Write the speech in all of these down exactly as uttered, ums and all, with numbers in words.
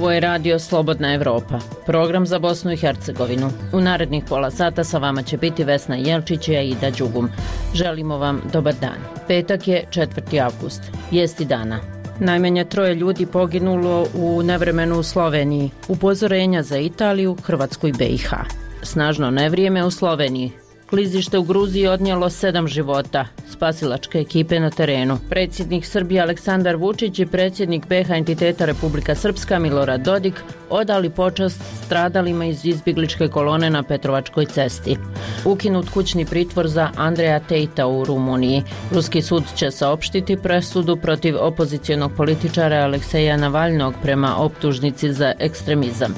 Ovo je radio Slobodna Evropa, program za Bosnu i Hercegovinu. U narednih pola sata sa vama će biti Vesna Jelčić i Aida Đugum. Želimo vam dobar dan. Petak je četvrti avgust. Vijesti dana. Najmanje troje ljudi poginulo u nevremenu u Sloveniji. Upozorenja za Italiju, Hrvatsku i B i H. Snažno nevrijeme u Sloveniji. Klizište u Gruziji odnijelo sedam života. Spasilačke ekipe na terenu. Predsjednik Srbije Aleksandar Vučić i predsjednik B i H entiteta Republika Srpska Milorad Dodik odali počast stradalima iz izbjegličke kolone na Petrovačkoj cesti. Ukinut kućni pritvor za Andreja Tejta u Rumuniji. Ruski sud će saopštiti presudu protiv opozicionog političara Alekseja Navalnog prema optužnici za ekstremizam.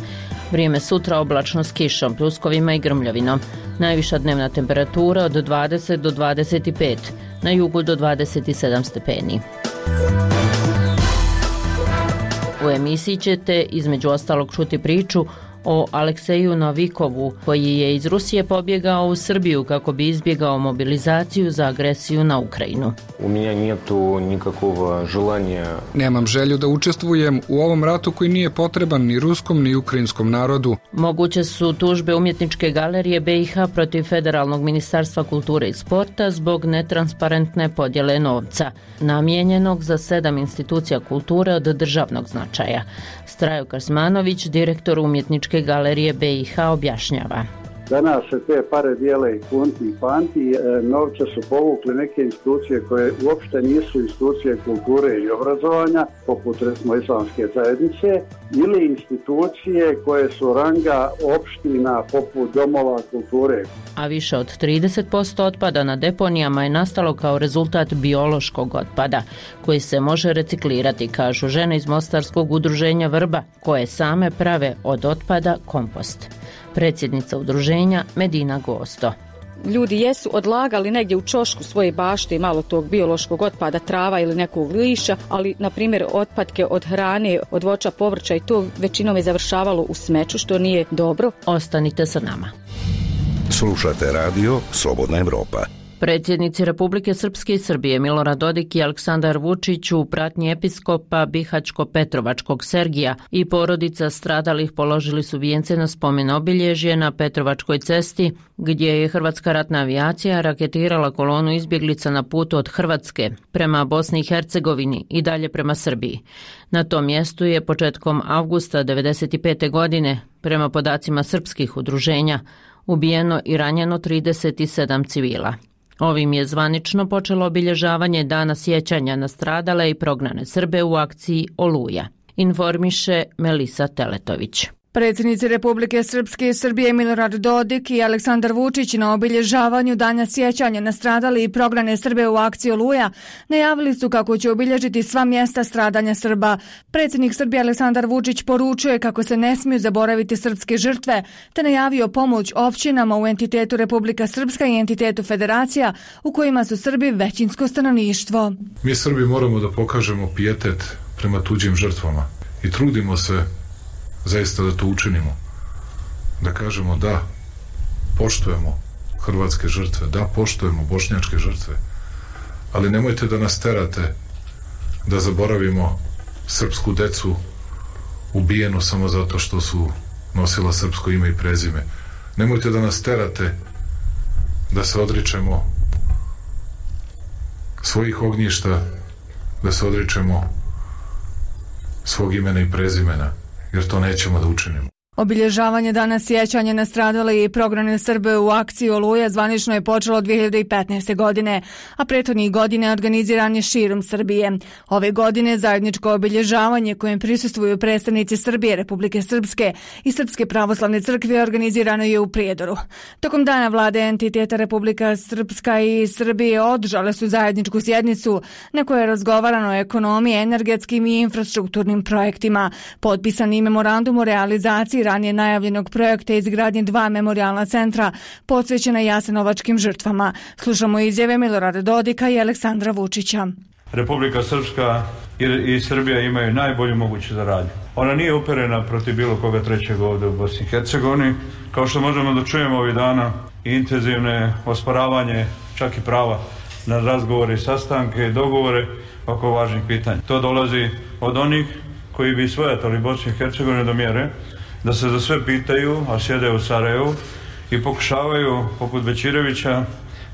Vrijeme sutra oblačno s kišom, pljuskovima i grmljavinom. Najviša dnevna temperatura od dvadeset do dvadeset pet, na jugu do dvadeset sedam stepeni. U emisiji ćete između ostalog čuti priču o Alekseju Novikovu, koji je iz Rusije pobjegao u Srbiju kako bi izbjegao mobilizaciju za agresiju na Ukrajinu. U mene netu nikakvog želanja. Nemam želju da učestvujem u ovom ratu koji nije potreban ni ruskom ni ukrajinskom narodu. Moguće su tužbe umjetničke galerije B i H protiv Federalnog ministarstva kulture i sporta zbog netransparentne podjele novca, namijenjenog za sedam institucija kulture od državnog značaja. Strajo Krsmanović, direktor umjetničke galerije B i H, objašnjava. Danas se te pare dijele i kunti i panti, novce su povukli neke institucije koje uopšte nisu institucije kulture i obrazovanja, poput recimo islamske zajednice, ili institucije koje su ranga opština poput domova kulture. A više od trideset posto otpada na deponijama je nastalo kao rezultat biološkog otpada, koji se može reciklirati, kažu žene iz Mostarskog udruženja Vrba, koje same prave od otpada kompost. Predsjednica udruženja Medina Gosto. Ljudi jesu odlagali negdje u čošku svoje bašte i malo tog biološkog otpada, trava ili nekog liša, ali na primjer otpadke od hrane, od voća, povrća i to većinom je završavalo u smeću, što nije dobro. Ostanite sa nama. Slušate radio Slobodna Evropa. Predsjednici Republike Srpske i Srbije Milorad Dodik i Aleksandar Vučić u pratnji episkopa Bihaćko-Petrovačkog Sergija i porodica stradalih položili su vijence na spomen obilježje na Petrovačkoj cesti, gdje je hrvatska ratna avijacija raketirala kolonu izbjeglica na putu od Hrvatske prema Bosni i Hercegovini i dalje prema Srbiji. Na tom mjestu je početkom avgusta devedeset pete. godine, prema podacima srpskih udruženja, ubijeno i ranjeno trideset sedam civila. Ovim je zvanično počelo obilježavanje Dana sjećanja na stradale i prognane Srbe u akciji Oluja, informiše Melisa Teletović. Predsjednici Republike Srpske i Srbije Milorad Dodik i Aleksandar Vučić na obilježavanju Dana sjećanja na stradale i prognane Srbe u akciji Oluja najavili su kako će obilježiti sva mjesta stradanja Srba. Predsjednik Srbije Aleksandar Vučić poručuje kako se ne smiju zaboraviti srpske žrtve, te najavio pomoć općinama u entitetu Republika Srpska i entitetu Federacija u kojima su Srbi većinsko stanovništvo. Mi Srbi moramo da pokažemo pijetet prema tuđim žrtvama i trudimo se zaista da to učinimo, da kažemo da poštujemo hrvatske žrtve, da poštujemo bošnjačke žrtve, ali nemojte da nas terate da zaboravimo srpsku decu ubijenu samo zato što su nosila srpsko ime i prezime. Nemojte da nas terate da se odričemo svojih ognjišta, da se odričemo svog imena i prezimena, jer to nećemo da učinimo. Obilježavanje Dana sjećanja na stradale i prognane Srbe u akciji Oluja zvanično je počelo dvije hiljade petnaeste. godine, a prethodnih godina organiziran je širom Srbije. Ove godine zajedničko obilježavanje kojem prisustvuju predstavnici Srbije, Republike Srpske i Srpske pravoslavne crkve organizirano je u Prijedoru. Tokom dana vlade entiteta Republika Srpska i Srbije održale su zajedničku sjednicu na kojoj je razgovarano o ekonomiji, energetskim i infrastrukturnim projektima. Potpisan je memorandum o realizaciji ranije najavljenog projekta izgradnje dva memorijalna centra posvećena jasenovačkim žrtvama. Slušamo izjave Milorada Dodika i Aleksandra Vučića. Republika Srpska i Srbija imaju najbolju moguću saradnju. Ona nije uperena protiv bilo koga trećeg ovdje u Bosni i Hercegovini. Kao što možemo da čujemo ovih dana, intenzivne osporavanje, čak i prava na razgovore i sastanke i dogovore oko važnih pitanja. To dolazi od onih koji bi svojatali Bosnu i Hercegovinu do mjere da se za sve pitaju, a sjede u Sarajevu i pokušavaju, poput Bećirevića,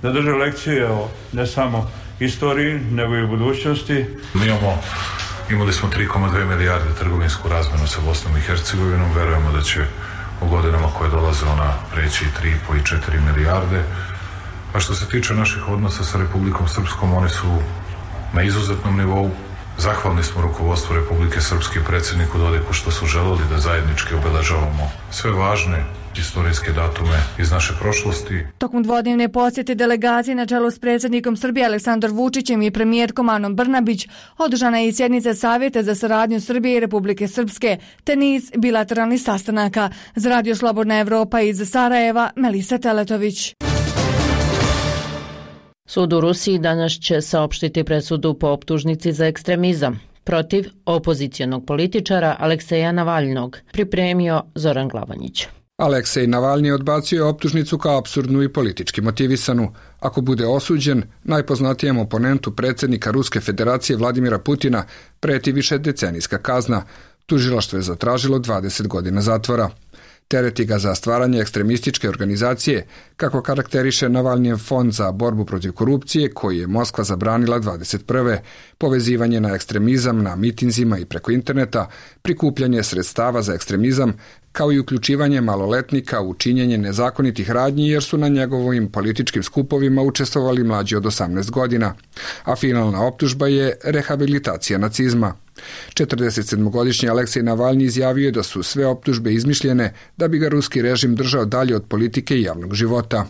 da drže lekcije o ne samo istoriji, nego i u budućnosti. Mi imamo, imali smo tri zarez dvije milijarde trgovinsku razmjenu sa Bosnom i Hercegovinom. Verujemo da će u godinama koje dolaze ona preći tri i po i četiri milijarde. A što se tiče naših odnosa sa Republikom Srpskom, oni su na izuzetnom nivou. Zahvalni smo rukovodstvu Republike Srpske i predsjedniku Dodiku što su želeli da zajednički obeležavamo sve važne istorijske datume iz naše prošlosti. Tokom dvodnevne posjete delegacije na čelu s predsjednikom Srbije Aleksandrom Vučićem i premijerkom Anom Brnabić održana je i sjednica Savjeta za saradnju Srbije i Republike Srpske, te niz bilateralnih sastanaka. Za Radio Slobodna Evropa iz Sarajeva, Melisa Teletović. Sud u Rusiji danas će saopštiti presudu po optužnici za ekstremizam protiv opozicionog političara Alekseja Navalnog, pripremio Zoran Glavanjić. Aleksej Navalni odbacio je optužnicu kao apsurdnu i politički motivisanu. Ako bude osuđen, najpoznatijem oponentu predsjednika Ruske federacije Vladimira Putina preti više decenijska kazna. Tužilaštvo je zatražilo dvadeset godina zatvora. Tereti ga za stvaranje ekstremističke organizacije, kako karakteriše Navalnijev fond za borbu protiv korupcije, koji je Moskva zabranila dvadeset prve povezivanje na ekstremizam na mitinzima i preko interneta, prikupljanje sredstava za ekstremizam, kao i uključivanje maloletnika u činjenje nezakonitih radnji jer su na njegovim političkim skupovima učestvovali mlađi od osamnaest godina, a finalna optužba je rehabilitacija nacizma. četrdesetsedmogodišnji Aleksej Navalni izjavio je da su sve optužbe izmišljene da bi ga ruski režim držao dalje od politike i javnog života.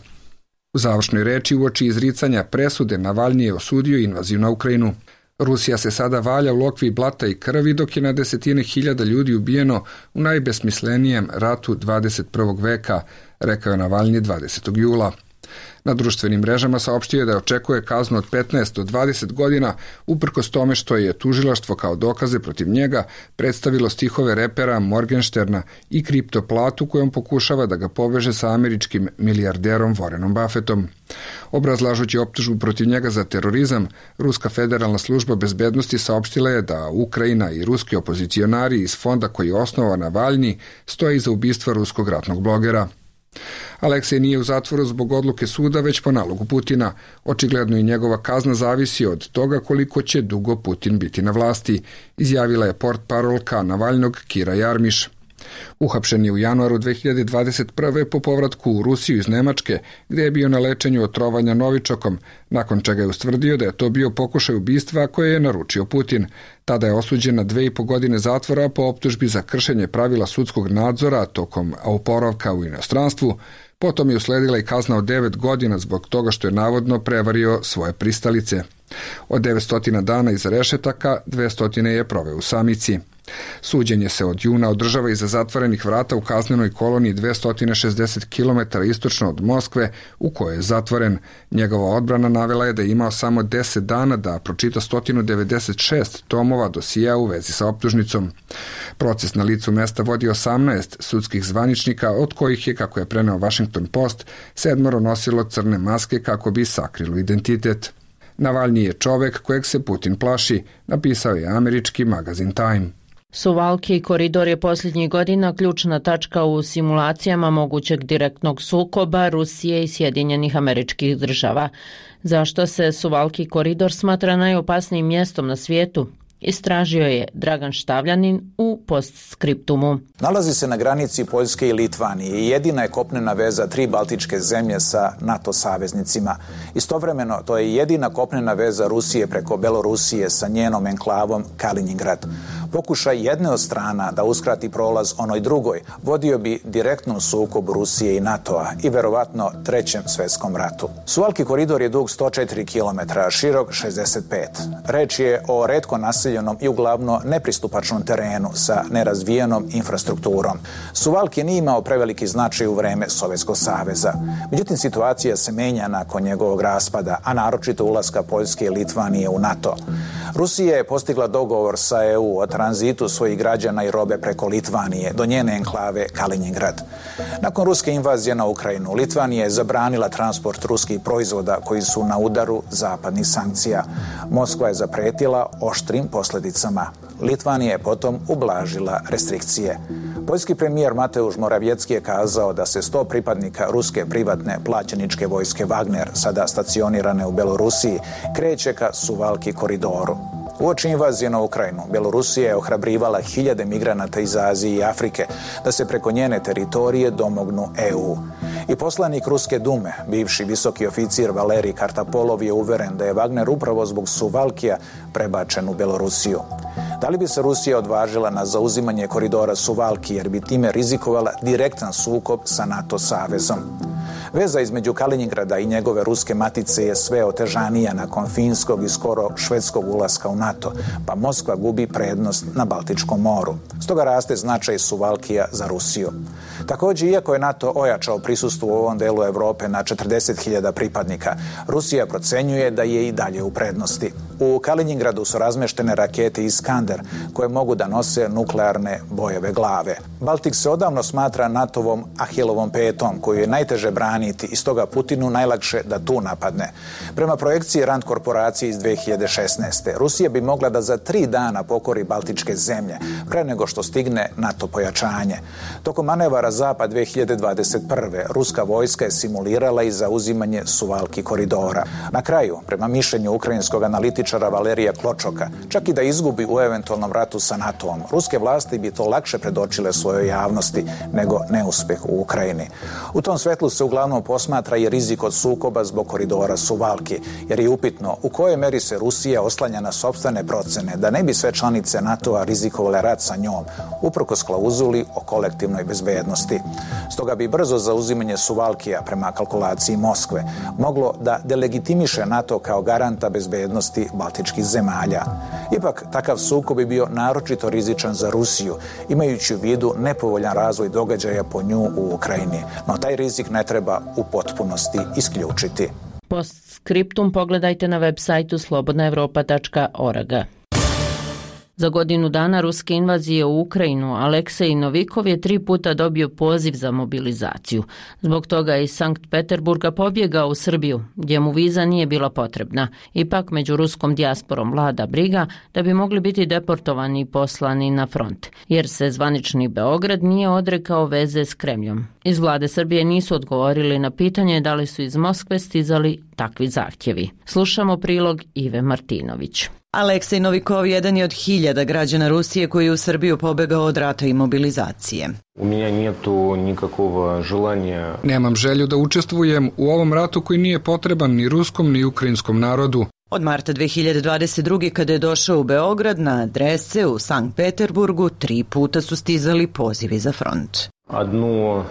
U završnoj reči uoči izricanja presude Navalni je osudio invaziju na Ukrajinu. Rusija se sada valja u lokvi blata i krvi dok je na desetine hiljada ljudi ubijeno u najbesmislenijem ratu dvadeset prvog veka, rekao je Navalni dvadesetog jula. Na društvenim mrežama saopštio je da očekuje kaznu od petnaest do dvadeset godina, uprkos tome što je tužilaštvo kao dokaze protiv njega predstavilo stihove repera Morgensterna i kriptoplatu kojom pokušava da ga poveže sa američkim milijarderom Warrenom Buffettom. Obrazlažući optužbu protiv njega za terorizam, Ruska federalna služba bezbednosti saopštila je da Ukrajina i ruski opozicionari iz fonda koji je osnovao Navalni stoje iza ubistva ruskog ratnog blogera. Aleksej nije u zatvoru zbog odluke suda, već po nalogu Putina. Očigledno i njegova kazna zavisi od toga koliko će dugo Putin biti na vlasti, izjavila je portparolka Navalnog Kira Jarmiš. Uhapšen je u januaru dve hiljade dvadeset prve po povratku u Rusiju iz Nemačke, gdje je bio na lečenju od trovanja novičokom, nakon čega je ustvrdio da je to bio pokušaj ubistva koje je naručio Putin. Tada je osuđen na dve i po godine zatvora po optužbi za kršenje pravila sudskog nadzora tokom oporavka u inostranstvu. Potom je usledila i kazna od devet godina zbog toga što je navodno prevario svoje pristalice. Od devetsto dana iza rešetaka, dvesta je proveo u samici. Suđenje se od juna održava iza zatvorenih vrata u kaznenoj koloniji dvesta šezdeset kilometara istočno od Moskve, u kojoj je zatvoren. Njegova odbrana navela je da je imao samo deset dana da pročita sto devedeset šest tomova dosija u vezi sa optužnicom. Proces na licu mesta vodi osamnaest sudskih zvaničnika, od kojih je, kako je preneo Washington Post, sedmoro nosilo crne maske kako bi sakrilo identitet. Navalni je čovek kojeg se Putin plaši, napisao je američki magazin Time. Suvalki koridor je posljednjih godina ključna tačka u simulacijama mogućeg direktnog sukoba Rusije i Sjedinjenih Američkih Država. Zašto se Suvalki koridor smatra najopasnijim mjestom na svijetu? Istražio je Dragan Štavljanin u postskriptumu. Nalazi se na granici Poljske i Litvanije i jedina je kopnena veza tri baltičke zemlje sa NATO saveznicima. Istovremeno, to je jedina kopnena veza Rusije preko Belorusije sa njenom enklavom Kaliningrad. Pokušaj jedne od strana da uskrati prolaz onoj drugoj vodio bi direktnom sukobu Rusije i NATO-a i verovatno trećem svjetskom ratu. Suvalki koridor je dug sto četiri kilometra, širok šezdeset pet. Reč je o retko naseljenom i uglavnom nepristupačnom terenu sa nerazvijenom infrastrukturom. Suvalki nije imao preveliki značaj u vreme Sovjetskog saveza. Međutim, situacija se menja nakon njegovog raspada, a naročito ulaska Poljske i Litvanije u NATO. Rusija je postigla dogovor sa E U o tranzitu svojih građana i robe preko Litvanije do njene enklave Kaliningrad. Nakon ruske invazije na Ukrajinu, Litvanija je zabranila transport ruskih proizvoda koji su na udaru zapadnih sankcija. Moskva je zapretila oštrim posljedicama. Litvanija je potom ublažila restrikcije. Poljski premijer Mateusz Morawiecki je kazao da se sto pripadnika ruske privatne plaćeničke vojske Wagner, sada stacionirane u Belorusiji, kreće ka Suvalki koridoru. Uoči invazije na Ukrajinu, Belorusija je ohrabrivala hiljade migranata iz Azije i Afrike da se preko njene teritorije domognu E U. I poslanik Ruske dume, bivši visoki oficir Valerij Kartapolov, je uveren da je Wagner upravo zbog Suvalkija prebačen u Belorusiju. Da li bi se Rusija odvažila na zauzimanje koridora Suvalki jer bi time rizikovala direktan sukob sa NATO savezom? Veza između Kaliningrada i njegove ruske matice je sve otežanija nakon finskog i skoro švedskog ulaska u NATO, pa Moskva gubi prednost na Baltičkom moru. Stoga raste značaj Suvalkija za Rusiju. Također, iako je NATO ojačao prisustvo u ovom delu Europe na četrdeset hiljada pripadnika, Rusija procenjuje da je i dalje u prednosti. U Kaliningradu su razmeštene rakete Iskander koje mogu da nose nuklearne bojeve glave. Baltik se odavno smatra NATO-vom Ahilovom petom koju je najteže braniti i stoga Putinu najlakše da tu napadne. Prema projekciji Rand korporacije iz dve hiljade šesnaeste. Rusija bi mogla da za tri dana pokori Baltičke zemlje pre nego što stigne NATO pojačanje. Tokom manevara Zapad dve hiljade dvadeset prve. ruska vojska je simulirala i zauzimanje Suvalki koridora. Na kraju, prema mišljenju ukrajinskog analitičara Valerija Kločoka, čak i da izgubi u eventualnom ratu sa NATO-om, ruske vlasti bi to lakše predočile svojoj javnosti nego neuspeh u Ukrajini. U tom svetlu se uglavnom posmatra i rizik od sukoba zbog koridora Suvalki, jer je upitno u kojoj meri se Rusija oslanja na sopstvene procene da ne bi sve članice NATO-a rizikovale rat sa njom, uprkos klauzuli o kolektivnoj bezbednosti. Stoga bi brzo zauzimanje Suvalkija prema kalkulaciji Moskve moglo da delegitimiše NATO kao garanta bezbednosti baltičkih zemalja. Ipak, takav sukob bi bio naročito rizičan za Rusiju, imajući u vidu nepovoljan razvoj događaja po nju u Ukrajini. No taj rizik ne treba u potpunosti isključiti. Postskriptum pogledajte na web sajtu slobodna evropa tačka org. Za godinu dana ruske invazije u Ukrajinu Aleksej Novikov je tri puta dobio poziv za mobilizaciju. Zbog toga je iz Sankt Peterburga pobjegao u Srbiju, gdje mu viza nije bila potrebna. Ipak među ruskom dijasporom vlada briga da bi mogli biti deportovani i poslani na front, jer se zvanični Beograd nije odrekao veze s Kremljom. Iz vlade Srbije nisu odgovorili na pitanje da li su iz Moskve stizali takvi zahtjevi. Slušamo prilog Ive Martinović. Aleksej Novikov jedan je od hiljada građana Rusije koji je u Srbiju pobegao od rata i mobilizacije. U mene nijetu nikakvog želanja. Nemam želju da učestvujem u ovom ratu koji nije potreban ni ruskom ni ukrajinskom narodu. Od marta dve hiljade dvadeset druge. kada je došao u Beograd na adrese u Sankt Peterburgu, tri puta su stizali pozivi za front. Одну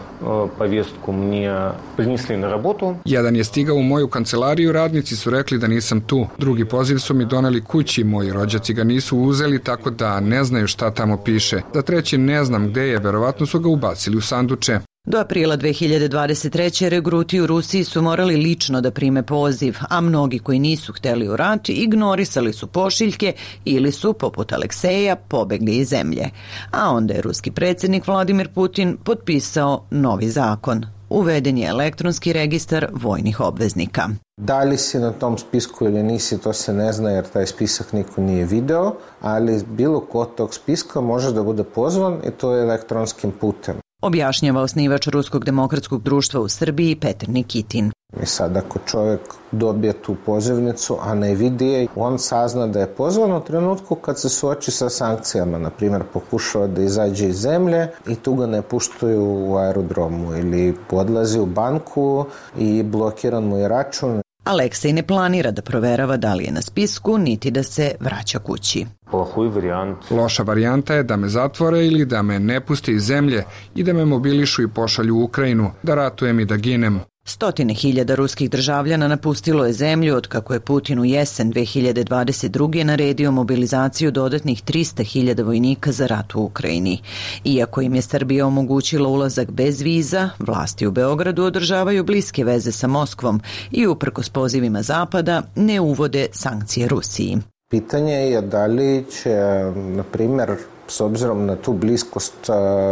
повестку мне принесли на работу. Jedan je stigao u moju kancelariju, radnici su rekli da nisam tu. Drugi poziv su mi doneli kući, moji rođaci ga nisu uzeli, tako da ne znaju šta tamo piše. Za treći ne znam gde je, verovatno su ga ubacili u sanduče. Do aprila dve hiljade dvadeset treće. regruti u Rusiji su morali lično da prime poziv, a mnogi koji nisu hteli u rat ignorisali su pošiljke ili su, poput Alekseja, pobegli iz zemlje. A onda je ruski predsjednik Vladimir Putin potpisao novi zakon. Uveden je elektronski registar vojnih obveznika. Da li si na tom spisku ili nisi, to se ne zna jer taj spisak niko nije video, ali bilo ko tog spiska može da bude pozvan i to je elektronskim putem. Objašnjava osnivač Ruskog demokratskog društva u Srbiji Petar Nikitin. I sad ako čovjek dobije tu pozivnicu, a ne vidi je, on sazna da je pozvan u trenutku kad se suoči sa sankcijama. Na primjer, pokušava da izađe iz zemlje i tu ga ne puštaju u aerodromu ili odlazi u banku i blokiran mu je račun. Aleksej ne planira da proverava da li je na spisku, niti da se vraća kući. Loša varijanta je da me zatvore ili da me ne puste iz zemlje i da me mobilišu i pošalju u Ukrajinu, da ratujem i da ginem. Stotine hiljada ruskih državljana napustilo je zemlju od kako je Putin u jesen dve hiljade dvadeset druge. naredio mobilizaciju dodatnih trista hiljada vojnika za rat u Ukrajini. Iako im je Srbija omogućila ulazak bez viza, vlasti u Beogradu održavaju bliske veze sa Moskvom i uprkos pozivima Zapada ne uvode sankcije Rusiji. Pitanje je da li će, na primjer, s obzirom na tu bliskost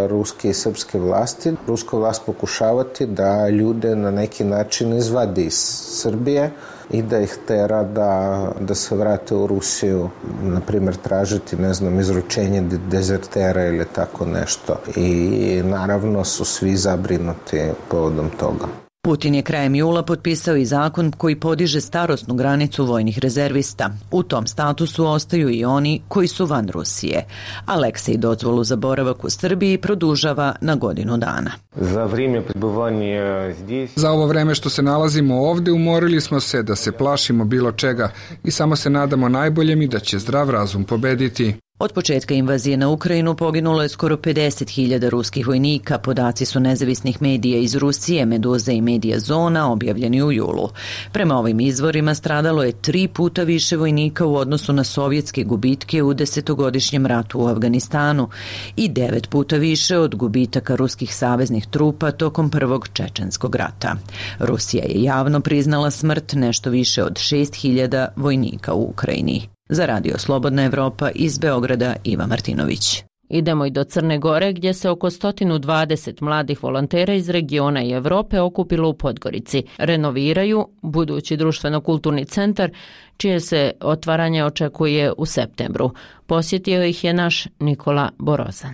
ruske i srpske vlasti, ruska vlast pokušavati da ljude na neki način izvadi iz Srbije i da ih tera da, da se vrate u Rusiju, na primjer tražiti, ne znam, izručenje dezertera ili tako nešto. I naravno su svi zabrinuti povodom toga. Putin je krajem jula potpisao i zakon koji podiže starosnu granicu vojnih rezervista. U tom statusu ostaju i oni koji su van Rusije. Aleksej dozvolu za boravak u Srbiji produžava na godinu dana. Za vrijeme prebivanja здесь... Za ovo vreme što se nalazimo ovde umorili smo se da se plašimo bilo čega i samo se nadamo najboljem i da će zdrav razum pobediti. Od početka invazije na Ukrajinu poginulo je skoro pedeset hiljada ruskih vojnika. Podaci su nezavisnih medija iz Rusije, Meduza i Medija Zona, objavljeni u julu. Prema ovim izvorima stradalo je tri puta više vojnika u odnosu na sovjetske gubitke u desetogodišnjem ratu u Afganistanu i devet puta više od gubitaka ruskih saveznih trupa tokom prvog čečenskog rata. Rusija je javno priznala smrt nešto više od šest hiljada vojnika u Ukrajini. Za Radio Slobodna Evropa iz Beograda Iva Martinović. Idemo i do Crne Gore gdje se oko sto dvadeset mladih volontera iz regiona i Evrope okupilo u Podgorici. Renoviraju budući društveno-kulturni centar čije se otvaranje očekuje u septembru. Posjetio ih je naš Nikola Borozan.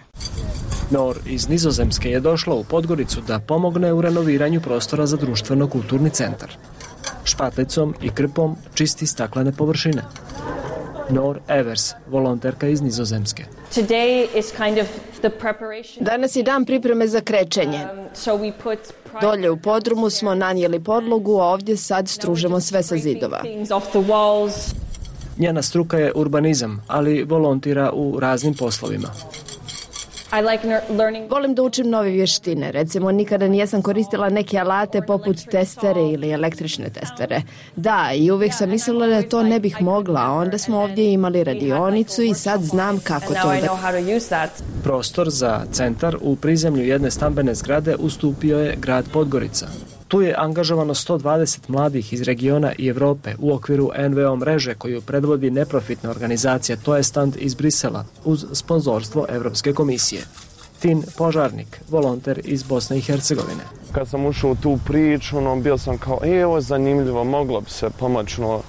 Nor iz Nizozemske je došla u Podgoricu da pomogne u renoviranju prostora za društveno-kulturni centar. Špatlicom i krpom čisti staklene površine. Nor Evers, volonterka iz Nizozemske. Danas je dan pripreme za krečenje. Dolje u podrumu smo nanijeli podlogu, a ovdje sad stružemo sve sa zidova. Njena struka je urbanizam, ali volontira u raznim poslovima. Volim da učim nove vještine. Recimo, nikada nijesam koristila neke alate poput testere ili električne testere. Da, i uvijek sam mislila da to ne bih mogla, a onda smo ovdje imali radionicu i sad znam kako to da... Prostor za centar u prizemlju jedne stambene zgrade ustupio je grad Podgorica. Tu je angažovano sto dvadeset mladih iz regiona i Evrope u okviru en ve o mreže koju predvodi neprofitna organizacija To je stand iz Brisela uz sponzorstvo Evropske komisije. Tin Požarnik, volonter iz Bosne i Hercegovine. Kad sam ušao u tu priču, ono, bio sam kao, e, ovo je zanimljivo, moglo bi se pomoći, no,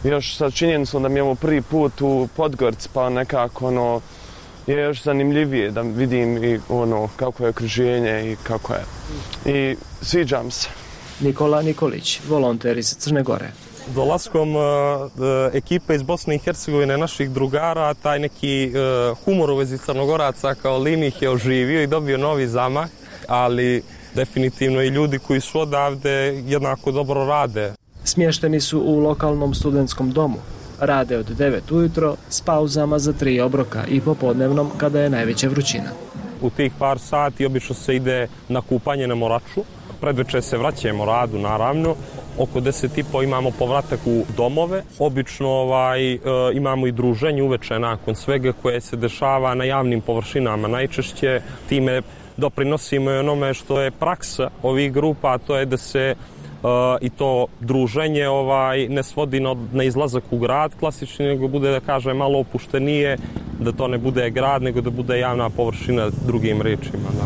još sa činjenicom da mi je ovo prvi put u Podgorici, pa nekako, ono, je još zanimljivije da vidim i ono kako je okruženje i kako je. I sviđam se. Nikola Nikolić, volonter iz Crne Gore. Dolaskom uh, ekipe iz Bosne i Hercegovine, naših drugara, taj neki uh, humor u vezi Crnogoraca kao limih je oživio i dobio novi zamah, ali definitivno i ljudi koji su odavde jednako dobro rade. Smješteni su u lokalnom studentskom domu. Rade od devet ujutro s pauzama za tri obroka i popodnevnom kada je najveća vrućina. U tih par sati obično se ide na kupanje na Moraču. Predveče se vraćamo radu, naravno. Oko deset i po imamo povratak u domove. Obično ovaj, e, imamo i druženje uveče nakon svega koje se dešava na javnim površinama. Najčešće time doprinosimo i onome što je praksa ovih grupa, a to je da se Uh, i to druženje ovaj ne svodi na, na izlazak u grad klasični, nego bude, da kaže, malo opuštenije, da to ne bude grad, nego da bude javna površina, drugim rečima. Da.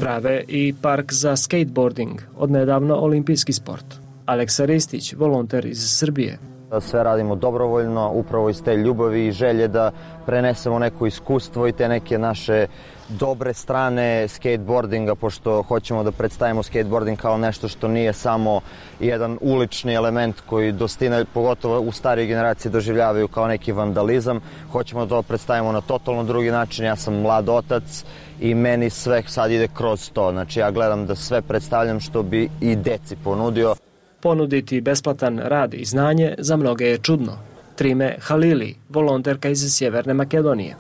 Prave i park za skateboarding, odnedavno olimpijski sport. Aleksa Ristić, volonter iz Srbije. Sve radimo dobrovoljno, upravo iz te ljubavi i želje da prenesemo neko iskustvo i te neke naše dobre strane skateboardinga, pošto hoćemo da predstavimo skateboarding kao nešto što nije samo jedan ulični element koji dostine, pogotovo u starije generacije, doživljavaju kao neki vandalizam. Hoćemo da to predstavimo na totalno drugi način. Ja sam mlad otac i meni sve sad ide kroz to. Znači ja gledam da sve predstavljam što bi i deci ponudio. Ponuditi besplatan rad i znanje za mnoge je čudno. Trime Halili, volonterka iz Sjeverne Makedonije.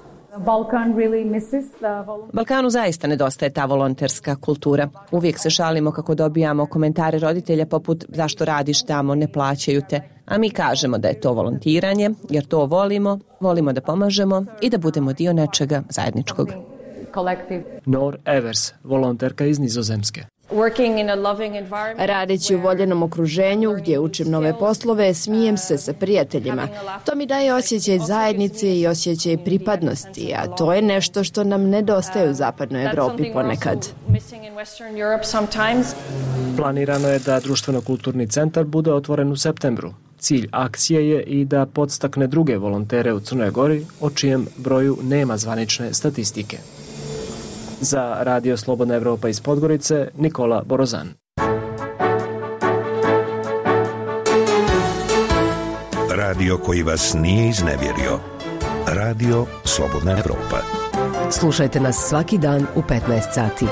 Balkanu zaista nedostaje ta volonterska kultura. Uvijek se šalimo kako dobijamo komentare roditelja poput zašto radiš tamo, ne plaćaju te. A mi kažemo da je to volontiranje jer to volimo, volimo da pomažemo i da budemo dio nečega zajedničkog. Nor Evers, volonterka iz Nizozemske. Radeći u voljenom okruženju gdje učim nove poslove, smijem se sa prijateljima. To mi daje osjećaj zajednice i osjećaj pripadnosti, a to je nešto što nam nedostaje u zapadnoj Evropi ponekad. Planirano je da društveno-kulturni centar bude otvoren u septembru. Cilj akcije je i da podstakne druge volontere u Crnoj Gori, o čijem broju nema zvanične statistike. Za Radio Slobodna Evropa iz Podgorice, Nikola Borozan. Radio koji vas nije iznevjerio. Radio Slobodna Evropa. Slušajte nas svaki dan u petnaest sati.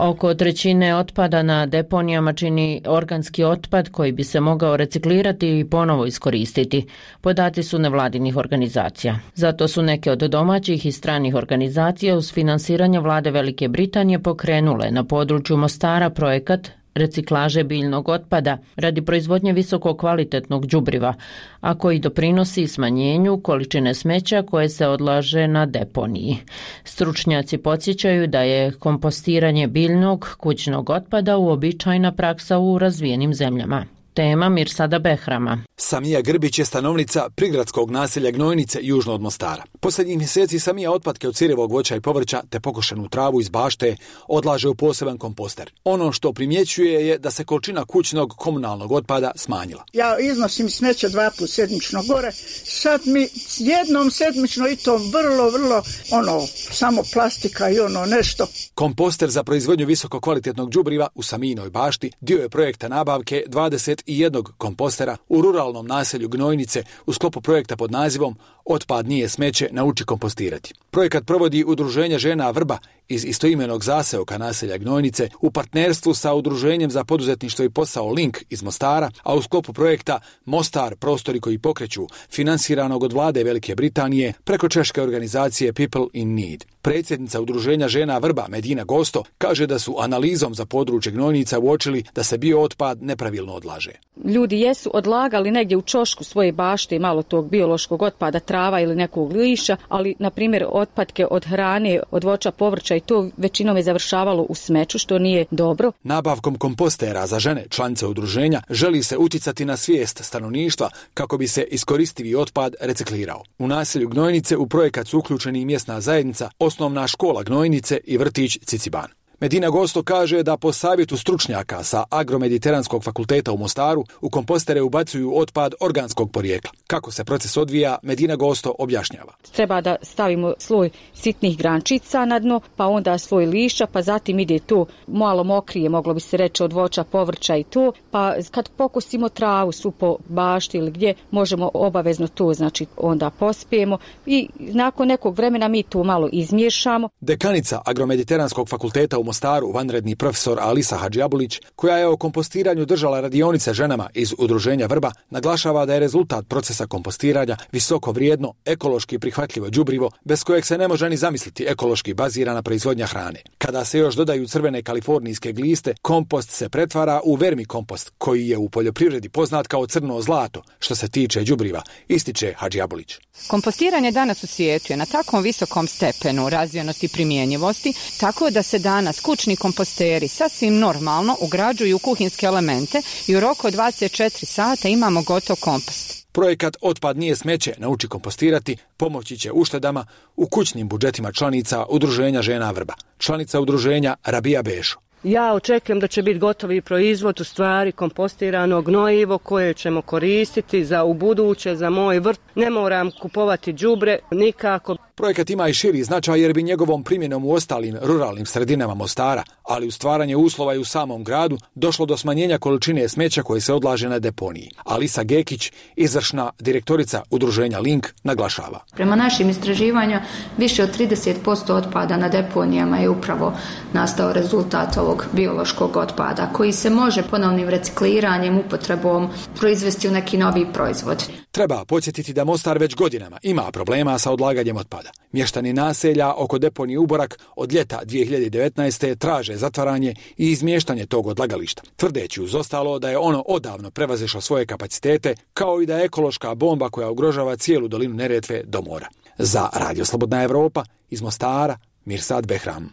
Oko trećine otpada na deponijama čini organski otpad koji bi se mogao reciklirati i ponovo iskoristiti. Podaci su nevladinih organizacija. Zato su neke od domaćih i stranih organizacija uz finansiranje vlade Velike Britanije pokrenule na području Mostara projekat reciklaže biljnog otpada radi proizvodnje visoko kvalitetnog đubriva, a koji doprinosi smanjenju količine smeća koje se odlaže na deponiji. Stručnjaci podsjećaju da je kompostiranje biljnog kućnog otpada uobičajena praksa u razvijenim zemljama. Tema Mirsada Behrama. Samija Grbić je stanovnica prigradskog naselja Gnojnice južno od Mostara. Posljednjih mjeseci Samija otpadke od sirevog voća i povrća te pokošenu travu iz bašte odlaže u poseban komposter. Ono što primjećuje je da se količina kućnog komunalnog otpada smanjila. Ja iznosim smeće dva put sedmično gore, sad mi jednom sedmično i to vrlo, vrlo, ono, samo plastika i ono nešto. Komposter za proizvodnju visoko kvalitetnog đubriva u Samijinoj bašti dio je projekta nabavke dvadeset jednog kompostera u ruralnom naselju Gnojnice u sklopu projekta pod nazivom Otpad nije smeće, nauči kompostirati. Projekat provodi Udruženje žena Vrba iz istoimenog zaseoka naselja Gnojnice u partnerstvu sa Udruženjem za poduzetništvo i posao Link iz Mostara, a u sklopu projekta Mostar, prostori koji pokreću, finansiranog od vlade Velike Britanije preko češke organizacije People in Need. Predsjednica Udruženja žena Vrba Medina Gosto kaže da su analizom za područje Gnojnica uočili da se biootpad nepravilno odlaže. Ljudi jesu odlagali negdje u čošku svoje bašte i malo tog biološkog otpada, trava ili nekog liša, ali na primjer otpadke od hrane, od voća, povrća i to većinom je završavalo u smeću, što nije dobro. Nabavkom kompostera za žene, članice udruženja, želi se utjecati na svijest stanovništva kako bi se iskoristivi otpad reciklirao. U naselju Gnojnice u projekat su uključeni mjesna zajednica, osnovna škola Gnojnice i vrtić Ciciban. Medina Gosto kaže da po savjetu stručnjaka sa Agromediteranskog fakulteta u Mostaru u kompostere ubacuju otpad organskog porijekla. Kako se proces odvija, Medina Gosto objašnjava. Treba da stavimo sloj sitnih grančica na dno, pa onda sloj lišća, pa zatim ide to malo mokrije, moglo bi se reći, od voća, povrća i to, pa kad pokosimo travu svu po bašti ili gdje, možemo obavezno to, znači onda pospijemo i nakon nekog vremena mi to malo izmiješamo. Dekanica Agromediteranskog fakulteta u Mostaru, vanredni profesor Alisa Hadžiabulić, koja je o kompostiranju držala radionice ženama iz Udruženja Vrba, naglašava da je rezultat procesa kompostiranja visoko vrijedno, ekološki prihvatljivo đubrivo, bez kojeg se ne može ni zamisliti ekološki bazirana proizvodnja hrane. Kada se još dodaju crvene kalifornijske gliste, kompost se pretvara u vermikompost, koji je u poljoprivredi poznat kao crno zlato, što se tiče đubriva, ističe Hadžiabulić. Kompostiranje danas u svijetu je na takvom visokom stepenu razvijenosti i primjenjivosti, tako da se danas kućni komposteri sasvim normalno ugrađuju u kuhinske elemente i u roku od dvadeset četiri sata imamo gotov kompost. Projekat Otpad nije smeće, nauči kompostirati, pomoći će uštedama u kućnim budžetima članica Udruženja žena Vrba. Članica udruženja Rabija Bešo. Ja očekujem da će biti gotovi proizvod, u stvari kompostirano gnojivo koje ćemo koristiti za ubuduće, za moj vrt. Ne moram kupovati đubre nikako. Projekat ima i širi značaj jer bi njegovom primjenom u ostalim ruralnim sredinama Mostara, ali u stvaranje uslova i u samom gradu, došlo do smanjenja količine smeća koje se odlaže na deponiji. Alisa Gekić, izvršna direktorica udruženja Link, naglašava. Prema našim istraživanjima, više od trideset posto otpada na deponijama je upravo nastao rezultat ovog biološkog otpada, koji se može ponovnim recikliranjem, upotrebom proizvesti u neki novi proizvod. Treba podsjetiti da Mostar već godinama ima problema sa odlaganjem otpada. Mještani naselja oko deponije Uborak od ljeta dvije hiljade devetnaeste. traže zatvaranje i izmještanje tog odlagališta, tvrdeći uz ostalo da je ono odavno prevazišlo svoje kapacitete, kao i da je ekološka bomba koja ugrožava cijelu dolinu Neretve do mora. Za Radio Slobodna Evropa iz Mostara, Mirsad Behram.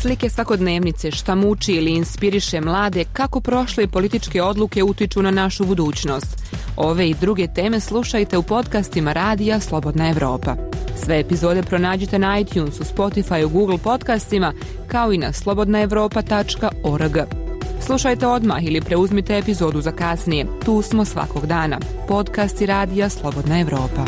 slike svakodnevnice, šta muči ili inspiriše mlade, kako prošle političke odluke utiču na našu budućnost. Ove i druge teme slušajte u podcastima Radija Slobodna Evropa. Sve epizode pronađite na iTunesu, Spotify, Google podcastima, kao i na slobodna evropa tačka org. Slušajte odmah ili preuzmite epizodu za kasnije. Tu smo svakog dana. Podcasti Radija Slobodna Evropa.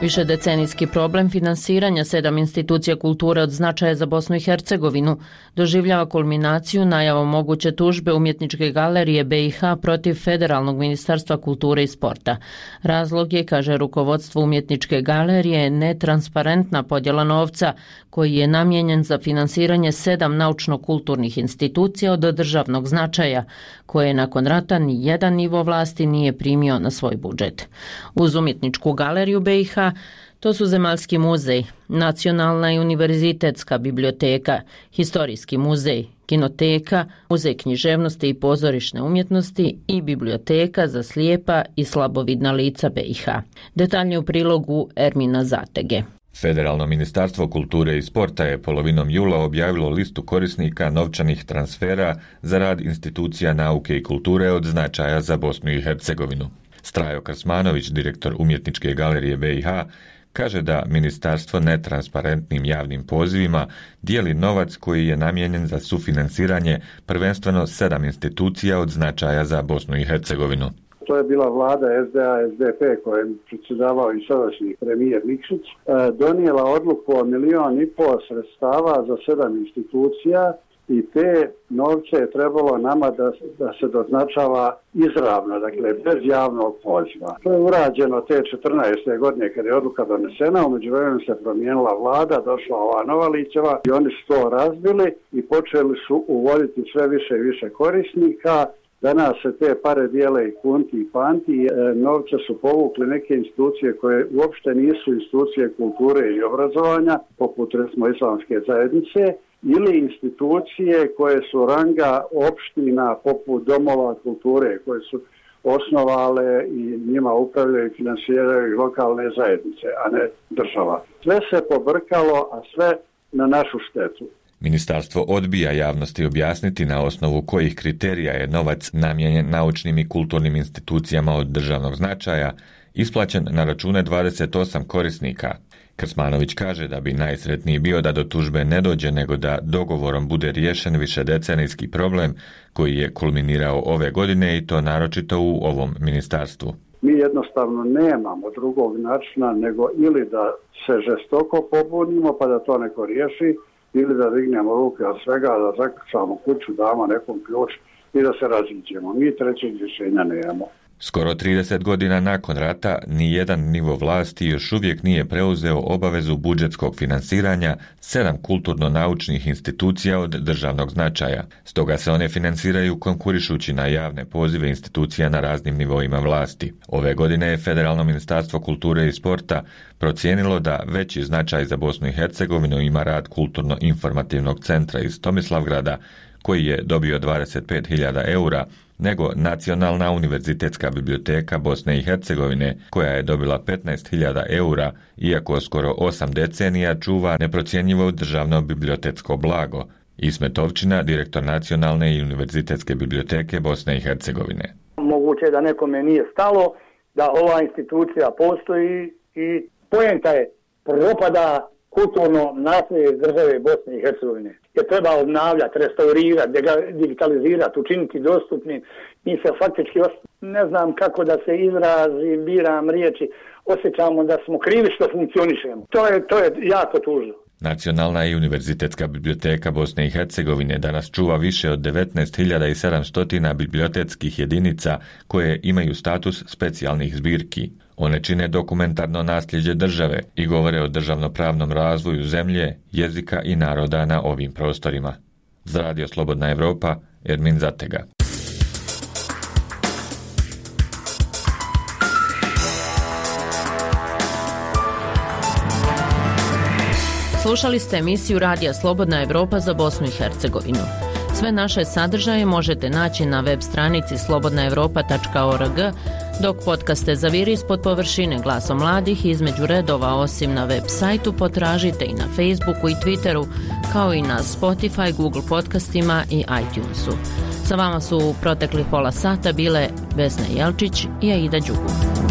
Višedecenijski problem finansiranja sedam institucija kulture od značaja za Bosnu i Hercegovinu doživljava kulminaciju najavom moguće tužbe Umjetničke galerije B i H protiv Federalnog ministarstva kulture i sporta. Razlog je, kaže rukovodstvo Umjetničke galerije, netransparentna podjela novca koji je namijenjen za finansiranje sedam naučno-kulturnih institucija od državnog značaja, koje nakon rata ni jedan nivo vlasti nije primio na svoj budžet. Uz Umjetničku galeriju B i H to su Zemaljski muzej, Nacionalna i univerzitetska biblioteka, Historijski muzej, Kinoteka, Muzej književnosti i pozorišne umjetnosti i Biblioteka za slijepa i slabovidna lica B i H. Detaljnije u prilogu Ermina Zatege. Federalno ministarstvo kulture i sporta je polovinom jula objavilo listu korisnika novčanih transfera za rad institucija nauke i kulture od značaja za Bosnu i Hercegovinu. Strajo Krsmanović, direktor Umjetničke galerije B i H, kaže da ministarstvo netransparentnim javnim pozivima dijeli novac koji je namijenjen za sufinansiranje prvenstveno sedam institucija od značaja za Bosnu i Hercegovinu. To je bila vlada S D A S D P kojem predsjedavao i sadašnji premijer Nikšić, donijela odluku o milion i pol sredstava za sedam institucija i te novce je trebalo nama da, da se doznačava izravno, dakle bez javnog poziva. To je urađeno te četrnaeste godine kad je odluka donesena, u međuvremenu se promijenila vlada, došla ova nova ličeva i oni su to razbili i počeli su uvoditi sve više i više korisnika. Danas se te pare dijele i kunti i panti, e, novce su povukli neke institucije koje uopšte nisu institucije kulture i obrazovanja, poput recimo islamske zajednice, ili institucije koje su ranga opština poput domova kulture, koje su osnovale i njima upravljaju i finansiraju lokalne zajednice, a ne država. Sve se pobrkalo, a sve na našu štetu. Ministarstvo odbija javnosti objasniti na osnovu kojih kriterija je novac namijenjen naučnim i kulturnim institucijama od državnog značaja isplaćen na račune dvadeset osam korisnika. Krsmanović kaže da bi najsretniji bio da do tužbe ne dođe, nego da dogovorom bude riješen višedecenijski problem koji je kulminirao ove godine i to naročito u ovom ministarstvu. Mi jednostavno nemamo drugog načina nego ili da se žestoko pobunimo pa da to neko riješi, ili da dignemo ruke od svega, da zaključamo kuću, damo nekom ključ i da se raziđemo. Mi trećeg rješenja nemamo. Skoro trideset godina nakon rata, ni jedan nivo vlasti još uvijek nije preuzeo obavezu budžetskog finansiranja sedam kulturno-naučnih institucija od državnog značaja. Stoga se one finansiraju konkurišući na javne pozive institucija na raznim nivoima vlasti. Ove godine je Federalno ministarstvo kulture i sporta procijenilo da veći značaj za Bosnu i Hercegovinu ima rad kulturno-informativnog centra iz Tomislavgrada, koji je dobio dvadeset pet hiljada eura, nego Nacionalna univerzitetska biblioteka Bosne i Hercegovine, koja je dobila petnaest hiljada eura, iako skoro osam decenija čuva neprocjenjivo državno bibliotetsko blago. Ismet Ovčina, direktor Nacionalne i univerzitetske biblioteke Bosne i Hercegovine. Moguće je da nekome nije stalo da ova institucija postoji i poenta je propada kulturno nasljeđe države Bosne i Hercegovine. Je treba obnavljati, restaurirati, digitalizirati, učiniti dostupni. Mi se faktički, ne znam kako da se izrazim, biram riječi, osjećamo da smo krivi što funkcionišemo. To je, to je jako tužno. Nacionalna i univerzitetska biblioteka Bosne i Hercegovine danas čuva više od devetnaest hiljada sedamsto bibliotetskih jedinica koje imaju status specijalnih zbirki. One čine dokumentarno nasljeđe države i govore o državnopravnom razvoju zemlje, jezika i naroda na ovim prostorima. Za Radio Slobodna Evropa, Ermin Zatega. Slušali ste emisiju Radija Slobodna Evropa za Bosnu i Hercegovinu. Sve naše sadržaje možete naći na web stranici slobodna evropa tačka org, Dok podcaste Zaviri ispod površine Glasom mladih između redova osim na web sajtu potražite i na Facebooku i Twitteru, kao i na Spotify, Google podcastima i iTunesu. Sa vama su u proteklih pola sata bile Vesna Jelčić i Aida Đugum.